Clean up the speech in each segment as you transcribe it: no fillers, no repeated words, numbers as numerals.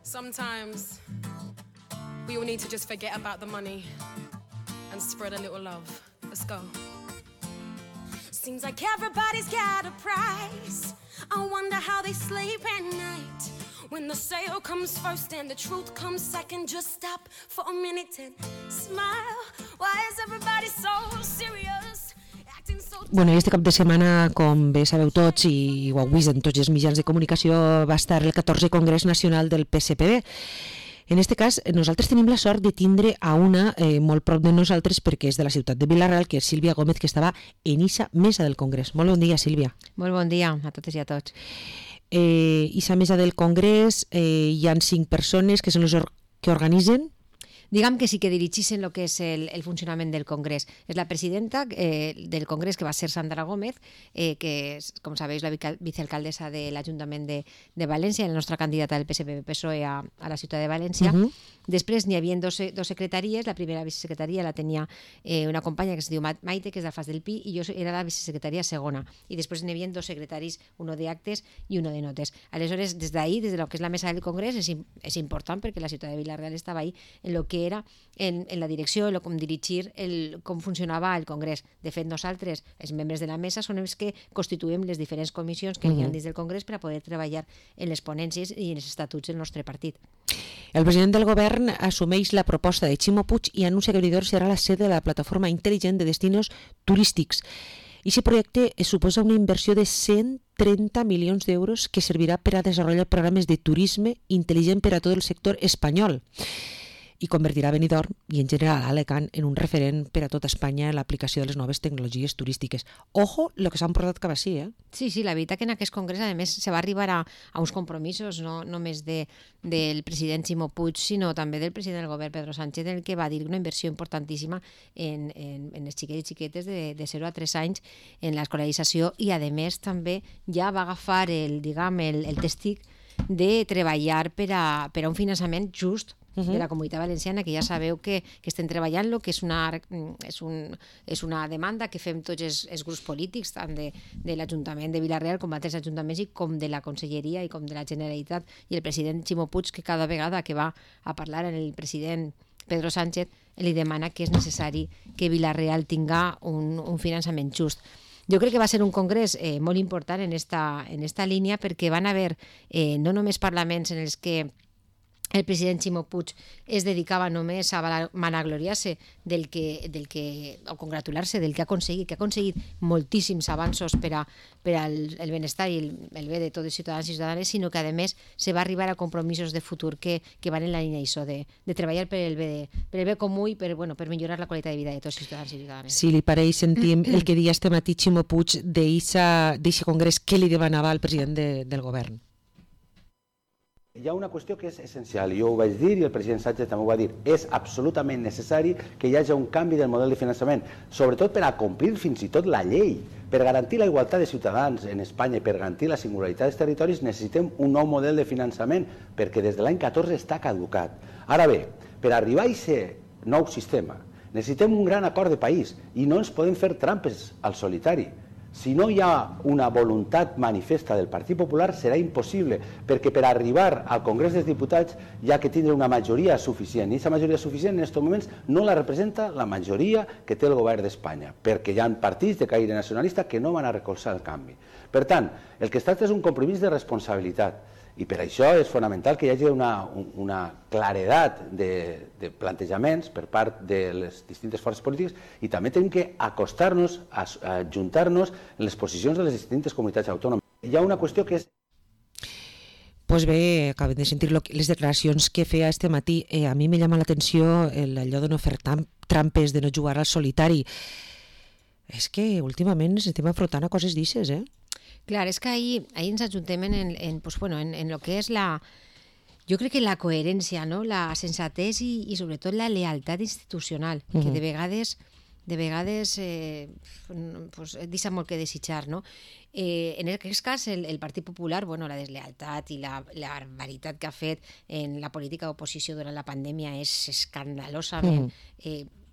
Sometimes we all need to just forget about the money and spread a little love. Let's go. Seems like everybody's got a price. I wonder how they sleep at night. When the sale comes first and the truth comes second, just stop for a minute and smile. Why is everybody so serious? Bueno, i este cap de setmana, com bé sabeu tots i ho heu vist en tots els mitjans de comunicació, va estar el 14è Congrés Nacional del PSPB. En aquest cas, nosaltres tenim la sort de tindre a una molt prop de nosaltres perquè és de la ciutat de Vila-real, que és Sílvia Gómez, que estava en eixa mesa del Congrés. Molt bon dia, Sílvia. Molt bon dia a totes i a tots. Eixa mesa del Congrés hi han 5 persones que són les que organitzen. Diguem que sí que dirigeixen el que és el funcionament del Congrés. És la presidenta del Congrés, que va ser Sandra Gómez, que és, com sabeu, la vicealcaldessa de l'Ajuntament de València, la nostra candidata del PSPB-PSOE a la ciutat de València. Després n'hi havia dos secretaries. La primera vicesecretaria la tenia una companya que es diu Maite, que és d'Alfàs del Pi, i jo era la vicesecretària segona. I després n'hi havia 2 secretaris, uno d'actes i uno de notes. Aleshores, des d'ahir, des de lo que és la mesa del Congrés, és important perquè la ciutat de Vila-real estava ahí en lo que era en la direcció, com dirigir, com funcionava el Congrés. De fet, nosaltres, els membres de la mesa, són els que constituïm les diferents comissions que hi ha dins del Congrés per a poder treballar en les ponències i en els estatuts del nostre partit. El president del govern assumeix la proposta de Ximo Puig i anuncia que Benidorm serà la sede de la plataforma intel·ligent de destinos turístics. Aquest projecte suposa una inversió de 130 milions d'euros que servirà per a desenvolupar programes de turisme intel·ligent per a tot el sector espanyol i convertirà Benidorm i en general Alacant en un referent per a tota Espanya en l'aplicació de les noves tecnologies turístiques. Ojo, el que s'han portat cap així, eh? Sí, la veritat que en aquest congrés, a més, se va arribar a uns compromisos, no només del president Ximo Puig, sinó també del president del govern, Pedro Sánchez, el que va dir una inversió importantíssima en els xiquets i xiquetes de 0 a 3 anys en l'escolarització i, a més, també ja va agafar el testic de treballar per a un finançament just de la Comunitat Valenciana, que ja sabeu que estem treballant-lo, que és una demanda que fem tots els grups polítics, tant de l'Ajuntament de Vila-real com d'altres ajuntaments i com de la Conselleria i com de la Generalitat, i el president Ximo Puig, que cada vegada que va a parlar amb el president Pedro Sánchez li demana que és necessari que Vila-real tinga un finançament just. Jo crec que va ser un congrés molt important en esta línia, perquè van haver no només parlaments en els que el president Ximo Puig es dedicava només a vanagloriar-se o congratular-se del que ha aconseguit, moltíssims avanços per al benestar i el bé de tots els ciutadans i ciutadanes, sinó que, a més, se va arribar a compromisos de futur que van en la línia d'això, de treballar per el bé comú i per millorar la qualitat de vida de tots els ciutadans i ciutadanes. Si li pareix, sentim el que deia este matí Ximo Puig d'eixe congrés que li demanava al president del govern. Hi ha una qüestió que és essencial, jo ho vaig dir i el president Sánchez també ho va dir, és absolutament necessari que hi hagi un canvi del model de finançament, sobretot per a complir fins i tot la llei. Per garantir la igualtat de ciutadans en Espanya i per garantir la singularitat dels territoris necessitem un nou model de finançament, perquè des de l'any 14 està caducat. Ara bé, per arribar a aquest nou sistema necessitem un gran acord de país i no ens podem fer trampes al solitari. Si no hi ha una voluntat manifesta del Partit Popular serà impossible, perquè per arribar al Congrés dels Diputats hi ha que tindre una majoria suficient, i aquesta majoria suficient en aquests moments no la representa la majoria que té el govern d'Espanya, perquè hi ha partits de caire nacionalista que no van a recolzar el canvi. Per tant, el que es tracta és un compromís de responsabilitat, i per això és fonamental que hi hagi una claredat de plantejaments per part de les distintes forces polítiques, i també tenim que acostar-nos, ajuntar-nos en les posicions de les distintes comunitats autònomes. Hi ha una qüestió que és... Pues bé, acabem de sentir les declaracions que feia este matí. A mi me llama l'atenció allò de no fer trampes, de no jugar al solitari. És que últimament ens estem afrontant a coses d'ixes, eh? Clar, és que ahir ens ajuntem en lo que és jo crec que la coherència, no? La sensatez i sobretot la lealtat institucional, que de vegades deixa molt que desitjar, no? En aquest cas, el Partit Popular, la deslealtat i la barbaritat que ha fet en la política d'oposició durant la pandèmia és escandalosament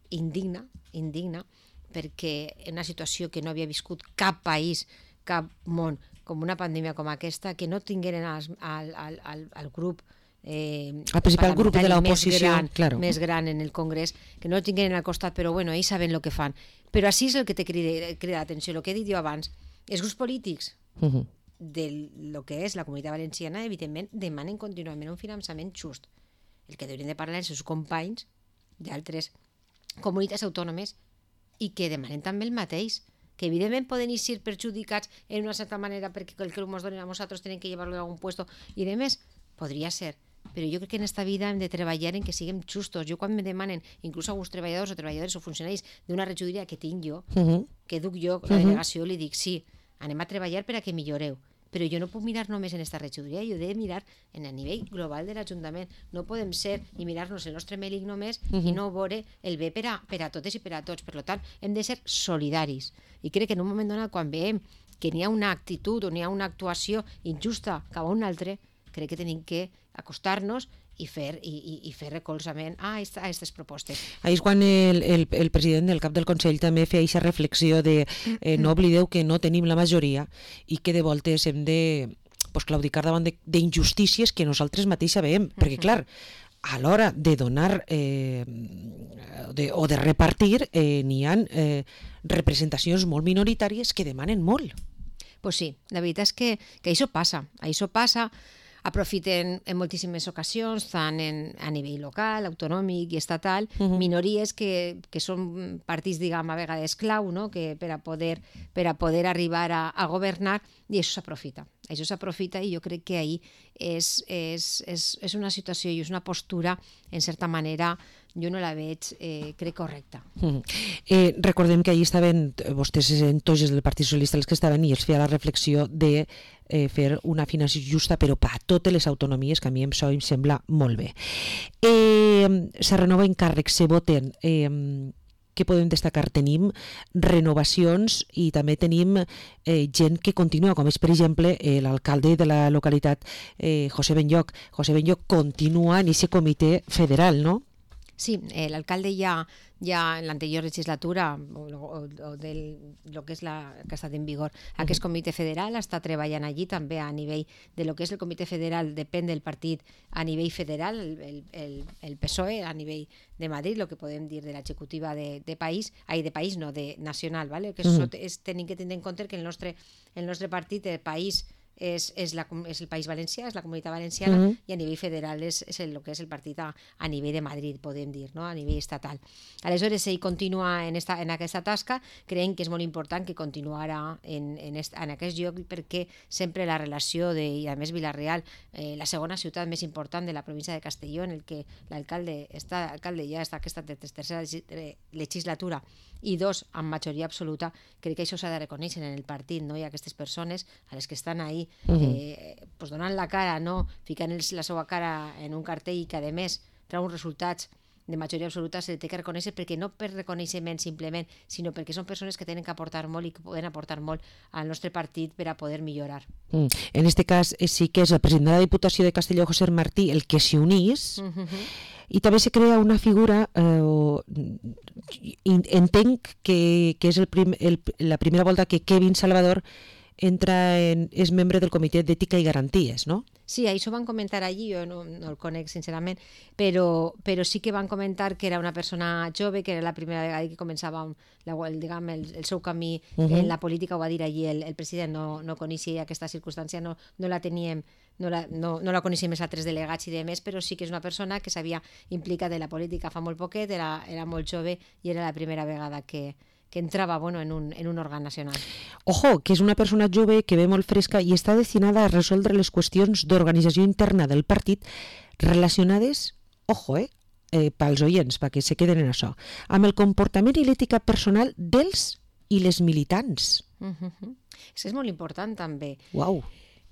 indigna, perquè en una situació que no havia viscut cap país, cap món, com una pandèmia com aquesta, que no tingueren al grup el principal grup de l'oposició, claro, més gran en el Congrés, que no el tinguin al costat, però bueno, ells saben el que fan. Però així és el que te crida l'atenció, el que he dit jo abans. Els grups polítics de lo que és la Comunitat Valenciana, evidentment, demanen contínuament un finançament just. El que deurien de parlar els seus companys d'altres comunitats autònomes i que demanen també el mateix, que evidentment poden ser perjudicats en una certa manera perquè el que ens donen a nosaltres tenen que llevar-lo a algun puesto i de més, podria ser, però jo crec que en esta vida hem de treballar en que siguem justos. Jo quan me demanen, inclús alguns treballadors o treballadores o funcionaris d'una regidoria que tinc jo, que duc jo, la delegació, li dic, sí, anem a treballar per a que milloreu, però jo no puc mirar només en esta regidoria, jo he de mirar en el nivell global de l'Ajuntament. No podem ser i mirar-nos el nostre mèlic només i no veure el bé per a totes i per a tots. Per tant, hem de ser solidaris. I crec que en un moment donat, quan veiem que n'hi ha una actitud o n'hi ha una actuació injusta cap a un altre, crec que tenim que acostar-nos i fer recolzament a aquestes propostes. Ahí és quan el president, el cap del Consell, també feia aquesta reflexió de no oblideu que no tenim la majoria i que de voltes hem de claudicar davant d'injustícies que nosaltres mateix sabem, perquè clar, a l'hora de donar o de repartir n'hi ha representacions molt minoritàries que demanen molt. Pues sí, la veritat és que això passa, aprofiten en moltíssimes ocasions, tant a nivell local, autonòmic i estatal, minories que són partits, diguem, a vegades clau, no? Que per a poder arribar a governar, i això s'aprofita. Això s'aprofita i jo crec que ahir és una situació i és una postura, en certa manera, jo no la veig, crec, correcta. Recordem que ahir estaven vostès en toges del Partit Socialista els que estaven i els feia la reflexió de fer una finançació justa però per a totes les autonomies, que a mi això em sembla molt bé. Se renoven càrrecs, se voten. Què podem destacar? Tenim renovacions i també tenim gent que continua, com és, per exemple, l'alcalde de la localitat, José Benlloch. José Benlloch continua en aquest comitè federal, no? Sí, l'alcalde ja en l'anterior legislatura o del lo que és que ha estat en vigor aquest comitè federal està treballant allí també a nivell de lo que és el comitè federal, depèn del partit a nivell federal, el PSOE a nivell de Madrid, el que podem dir de l'executiva de país, no, de nacional, ¿vale? Que tenim que tenir en compte que el nostre partit, el país, és el País Valencià, és la Comunitat Valenciana, i a nivell federal és el que és el partit a nivell de Madrid, podem dir, no? A nivell estatal. Aleshores, ell continua en aquesta tasca, creiem que és molt important que continuarà en aquest lloc perquè sempre la relació i a més Vila-real, la segona ciutat més important de la província de Castelló, en el que l'alcalde ja està aquesta tercera legislatura i dos amb majoria absoluta, crec que això s'ha de reconèixer en el partit, no? I aquestes persones a les que estan ahí donant la cara, no? Ficant la seva cara en un cartell i que a més treu uns resultats de majoria absoluta, se té que reconèixer perquè no per reconeixement simplement, sinó perquè són persones que tenen que aportar molt i que poden aportar molt al nostre partit per a poder millorar. En aquest cas sí que és el president de la Diputació de Castelló, José Martí, el que s'hi unís, i també se crea una figura, entenc que és la primera volta que Kevin Salvador és membre del Comitè d'Ètica i Garanties, no? Sí, això van comentar allí, jo no el conec sincerament, però sí que van comentar que era una persona jove, que era la primera vegada que començava el seu camí en la política, ho va dir allí el president, no coneixia aquesta circumstància, no la teníem, no la coneixem els altres delegats i demés, però sí que és una persona que s'havia implicat en la política fa molt poquet, era molt jove i era la primera vegada que entrava en un òrgan nacional. Ojo, que és una persona jove que ve molt fresca i està destinada a resoldre les qüestions d'organització interna del partit relacionades, ojo, pels oients, perquè se queden en això, amb el comportament i l'ètica personal dels i les militants. És molt important també. Uau!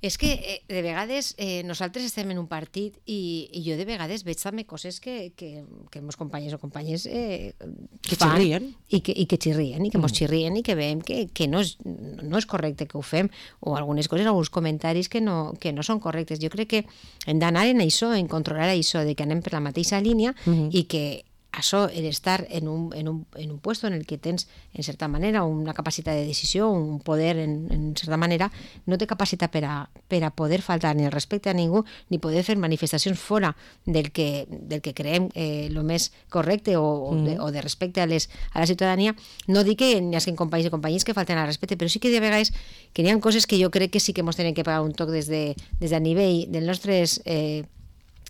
És que de vegades nosaltres estem en un partit i jo de vegades veig també coses que els companys o companyes que xirrien i que xirrien i que mos xirrien i que veiem que no és correcte que ho fem, o algunes coses, alguns comentaris que no són correctes. Jo crec que hem d'anar en això, en controlar això, de que anem per la mateixa línia i que això, el estar en un puesto en el que tens, en certa manera, una capacitat de decisió, un poder, en certa manera, no té capacitat per a poder faltar ni el respecte a ningú, ni poder fer manifestacions fora del que creiem el més correcte o de respecte a la ciutadania. No dic que n'hi hagi companys i companyies que falten al respecte, però sí que de vegades que n'hi ha coses que jo crec que sí que ens tenen que pagar un toc des a nivell dels nostres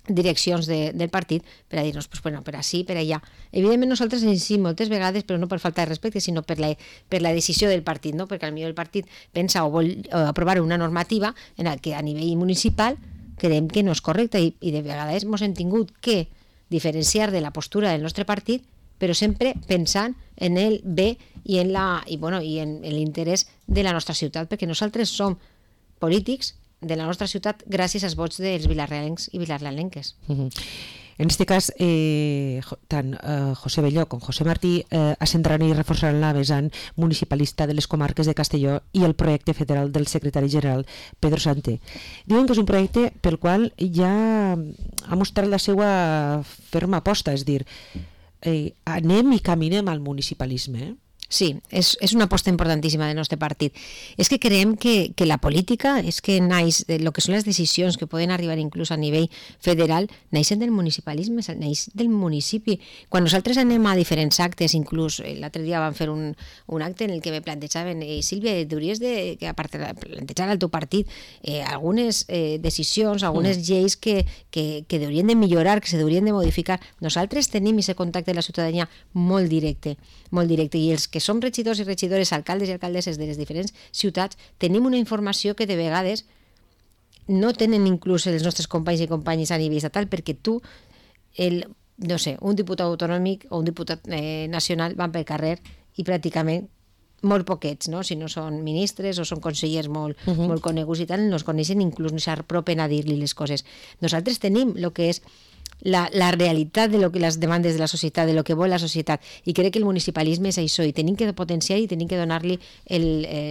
direccions del partit per a dir-nos, pues, bueno, per així, per allà. Evidentment nosaltres sí, moltes vegades, però no per falta de respecte, sinó per la decisió del partit, no? Perquè potser el partit pensa o vol aprovar una normativa en la que a nivell municipal creiem que no és correcta i de vegades ens hem tingut que diferenciar de la postura del nostre partit, però sempre pensant en el bé i en l'interès de la nostra ciutat, perquè nosaltres som polítics de la nostra ciutat gràcies als vots dels vilarrealencs i vilarrealenques. En este cas, tant José Belló com José Martí assentaran i reforçaran la vessant municipalista de les comarques de Castelló i el projecte federal del secretari general Pedro Sánchez. Diuen que és un projecte pel qual ja ha mostrat la seva ferma aposta, és dir, anem i caminem al municipalisme, Sí, és una aposta importantíssima del nostre partit. És que creiem que la política, és que naix, el que són les decisions que poden arribar inclús a nivell federal, naixen del municipalisme, naix del municipi. Quan nosaltres anem a diferents actes, inclús l'altre dia vam fer un acte en el que me plantejaven, Sílvia, hauries de plantejar al teu partit algunes decisions, algunes lleis que haurien de millorar, que s'haurien de modificar. Nosaltres tenim aquest contacte amb la ciutadania molt directe, i els que som regidors i regidores, alcaldes i alcaldesses de les diferents ciutats, tenim una informació que de vegades no tenen inclús els nostres companys i companyes a nivell estatal, perquè tu, no sé, un diputat autonòmic o un diputat nacional van pel carrer i pràcticament molt poquets, no? Si no són ministres o són consellers molt coneguts i tal, no es coneixen, inclús no s'apropen a dir-li les coses. Nosaltres tenim el que és la realitat de lo que les demandes de la societat, de lo que vol la societat, i crec que el municipalisme és això, i tenim que potenciar i tenim que donar-li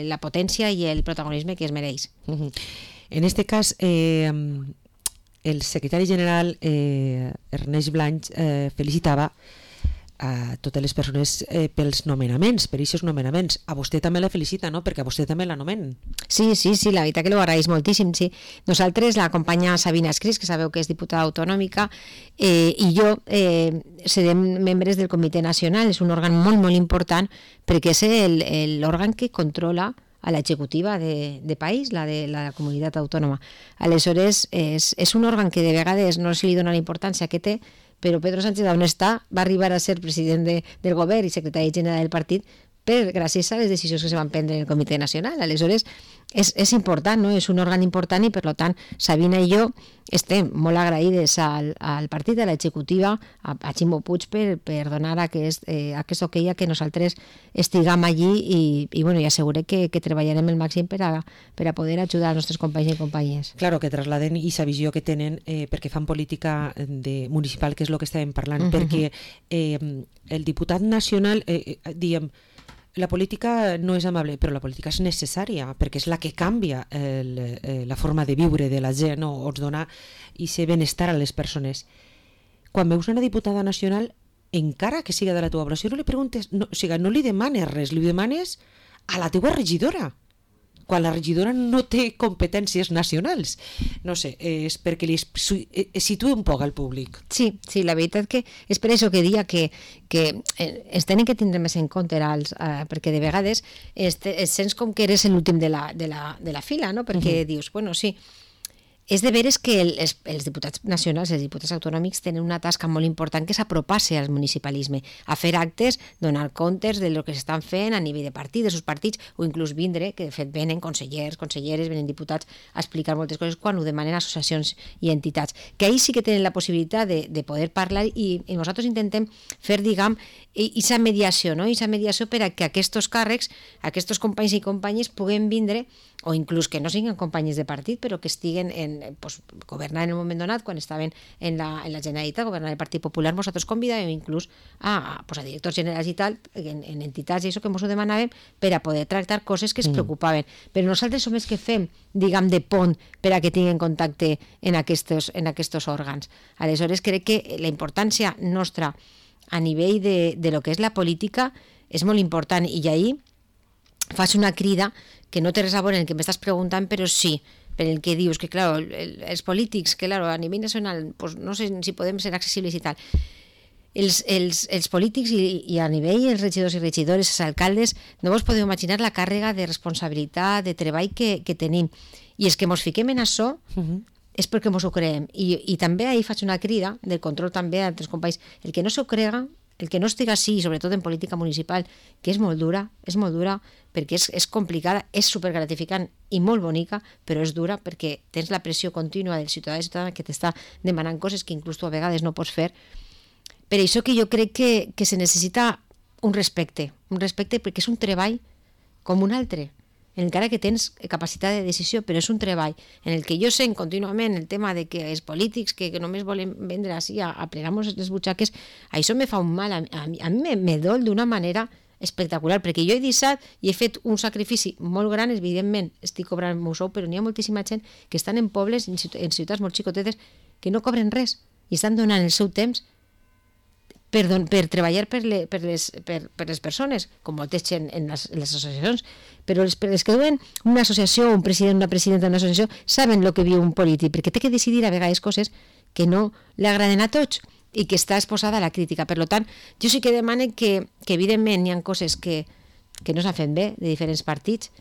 la potència i el protagonisme que es mereix. En este cas, el secretari general Ernest Blanch felicitava a totes les persones pels nomenaments, per aquests nomenaments. A vostè també la felicita, no? Perquè a vostè també la nomen. Sí, la veritat que ho agraeix moltíssim, sí. Nosaltres, la companya Sabina Escris, que sabeu que és diputada autonòmica, i jo serem membres del Comitè Nacional. És un òrgan molt, molt important, perquè és l'òrgan que controla a l'executiva de país, la de la comunitat autònoma. Aleshores, és un òrgan que de vegades no se li dona la importància que té, però Pedro Sánchez, on està, va arribar a ser president del govern i secretari general del partit gràcies a les decisions que se van prendre en el Comitè Nacional. Aleshores, és important, no? És un òrgan important i, per tant, Sabina i jo estem molt agraïdes al partit, a l'executiva, a Ximo Puig per donar aquest ok a que nosaltres estiguem allí i assegurem que treballarem el màxim per a poder ajudar els nostres companys i companyes. Claro, que trasladen aquesta visió que tenen perquè fan política municipal, que és el que estàvem parlant, perquè el diputat nacional, diguem, la política no és amable, però la política és necessària, perquè és la que canvia la forma de viure de la gent, o ens dona aquest benestar a les persones. Quan veus una diputada nacional, encara que siga de la teva població, no li preguntes, no li demanes res, li demanes a la teva regidora, quan la regidora no té competències nacionals. No sé, és perquè li situa un poc al públic. Sí, la veritat que és per això que dia que es tenen que tindre més en compte perquè de vegades sents com que eres l'últim de la fila, no? Perquè dius, bueno, sí, és de veres que els diputats nacionals, els diputats autonòmics tenen una tasca molt important, que és apropar-se al municipalisme, a fer actes, donar comptes de lo que s'estan fent a nivell de partit, de sus partits, o inclús vindre, que de fet venen consellers, conselleres, venen diputats a explicar moltes coses quan ho demanen associacions i entitats, que ahí sí que tenen la possibilitat de poder parlar i nosaltres intentem fer, diguem, aquesta mediació, no? Aquesta mediació per a que aquests càrrecs, aquests companys i companyes puguen vindre, o inclús que no siguin companys de partit, però que estiguen governant en un moment donat, quan estaven en la Generalitat, governant el Partit Popular, nosaltres convidàvem inclús a directors generals i tal, en entitats i això que ens ho demanàvem, per a poder tractar coses que es preocupaven. Però nosaltres som els que fem, diguem, de pont per a que tinguin contacte en aquests òrgans. Aleshores, crec que la importància nostra a nivell de lo que és la política és molt important, i ahir fas una crida que no té res a veure en el que m'estàs preguntant, però sí, per el que dius, que claro, els polítics, que claro, a nivell nacional, pues no sé si podem ser accessibles i tal, els polítics i a nivell els regidors i regidores, els alcaldes, no vos podeu imaginar la càrrega de responsabilitat, de treball que tenim, i és que mos fiquem en això és perquè mos ho creem, i també ahir faig una crida del control també a altres companys, el que no s'ho crega, el que no estiga així, sobretot en política municipal, que és molt dura perquè és complicada, és supergratificant i molt bonica, però és dura perquè tens la pressió contínua del ciutadà i ciutadana que t'està demanant coses que inclús tu a vegades no pots fer. Per això que jo crec que se necessita un respecte perquè és un treball com un altre, encara que tens capacitat de decisió, però és un treball en el que jo sent contínuament el tema de que els polítics que només volen vendre així a plegar-nos les butxaques, això me fa un mal, a mi me dol d'una manera espectacular, perquè jo he deixat i he fet un sacrifici molt gran, evidentment estic cobrant el meu sou, però n'hi ha moltíssima gent que estan en pobles, en ciutats molt xicotetes, que no cobren res i estan donant el seu temps per treballar per les persones, com moltes gent en les associacions, però els que duen una associació, un president, una presidenta d'una associació, saben el que viu un polític, perquè té que decidir a vegades coses que no li agraden a tots i que està exposada a la crítica. Per tant, jo sí que demane que evidentment hi ha coses que no s'han fet bé de diferents partits,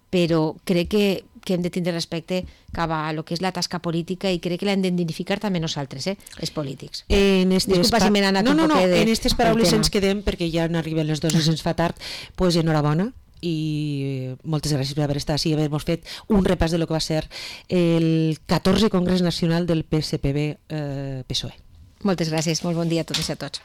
però crec que hem de tindre respecte cap a lo que és la tasca política i crec que l'hem d'identificar també nosaltres, els polítics. Disculpa si m'he anat un poc de... En aquestes paraules ens quedem perquè ja n'arriben les 2 i se'ns fa tard, doncs enhorabona i moltes gràcies per haver estat així i haver-nos fet un repàs de lo que va ser el 14è Congrés Nacional del PSPB-PSOE. Moltes gràcies, molt bon dia a totes i a tots.